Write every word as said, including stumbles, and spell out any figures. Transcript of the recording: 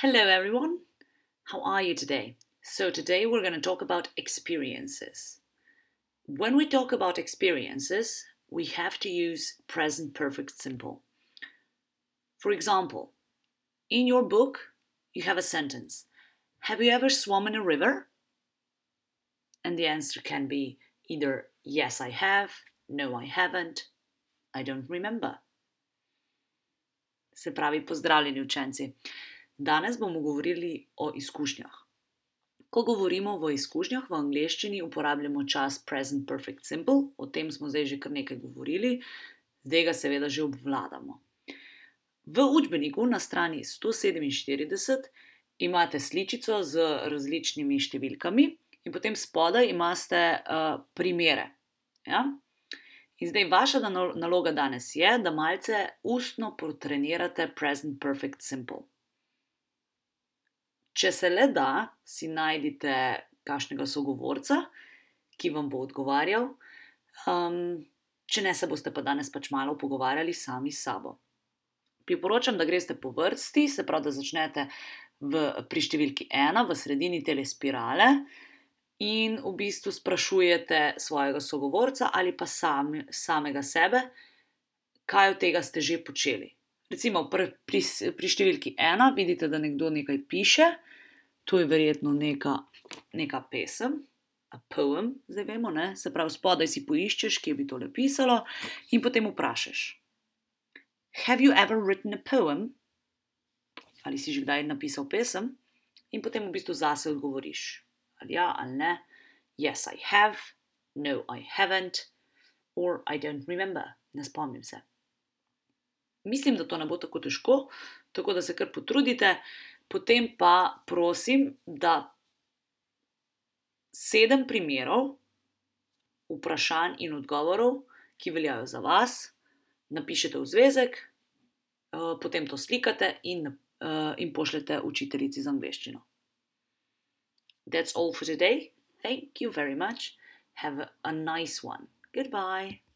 Hello, everyone. How are you today? So, today we're going to talk about experiences. When we talk about experiences, we have to use present perfect simple. For example, in your book, you have a sentence. Have you ever swum in a river? And the answer can be either yes, I have, no, I haven't, I don't remember. Se pravi, pozdravljeni učenci. Danes bomo govorili o izkušnjah. Ko govorimo o izkušnjah v angleščini, uporabljamo čas present perfect simple, o tem smo zdaj že kar nekaj govorili, zdaj ga seveda že obvladamo. V učbeniku na strani sto sedeminštirideset imate sličico z različnimi številkami in potem spodaj imate uh, primere. Ja? In zdaj vaša naloga danes je, da malce ustno potrenirate present perfect simple. Če se le da, si najdite kakšnega sogovorca, ki vam bo odgovarjal, um, če ne se boste pa danes pač malo pogovarjali sami s sabo. Priporočam, da greste po vrsti, se pravi, da začnete v, pri številki ena, v sredini tele spirale in v bistvu sprašujete svojega sogovorca ali pa sami, samega sebe, kaj od tega ste že počeli. Recimo pri, pri, pri številki ena vidite, da nekdo nekaj piše, to je verjetno neka, neka pesem, a poem, zdaj vemo, ne? Se pravi, spodaj si poiščeš, kje bi tole pisalo in potem vprašaš. Have you ever written a poem? Ali si že kdaj napisal pesem? In potem v bistvu zase odgovoriš. Ali ja, ali ne. Yes, I have. No, I haven't. Or I don't remember. Ne spomnim se. Mislim, da to ne bo tako težko, tako da se kar potrudite. Potem pa prosim, da sedem primerov, vprašanj in odgovorov, ki veljajo za vas, napišete v zvezek, potem to slikate in, in pošljete učiteljici za angleščino. That's all for today. Thank you very much. Have a nice one. Goodbye.